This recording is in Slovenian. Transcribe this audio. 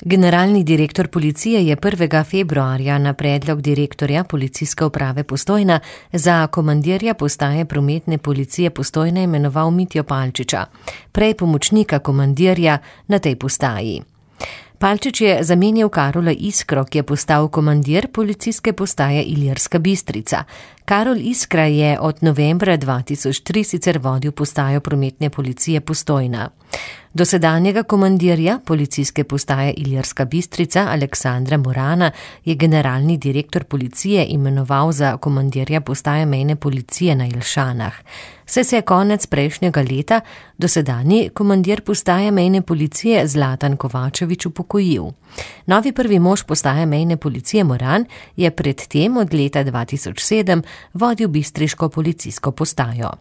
Generalni direktor policije je 1. februarja na predlog direktorja Policijske uprave Postojna za komandirja postaje prometne policije Postojna imenoval Mitjo Palčiča, prej pomočnika komandirja na tej postaji. Palčič je zamenjal Karola Iskro, ki je postal komandir policijske postaje Ilirska Bistrica. Karol Iskra je od novembra 2003 sicer vodil postajo prometne policije Postojna. Dosedanjega komandirja policijske postaje Ilirska Bistrica Aleksandra Morana je generalni direktor policije imenoval za komandirja postaje mejne policije na Jelšanah. Saj se je konec prejšnjega leta dosedanji komandir postaje mejne policije Zlatan Kovačevič upokojil. Novi prvi mož postaje mejne policije Moran je pred tem od leta 2007 vodil bistriško policijsko postajo.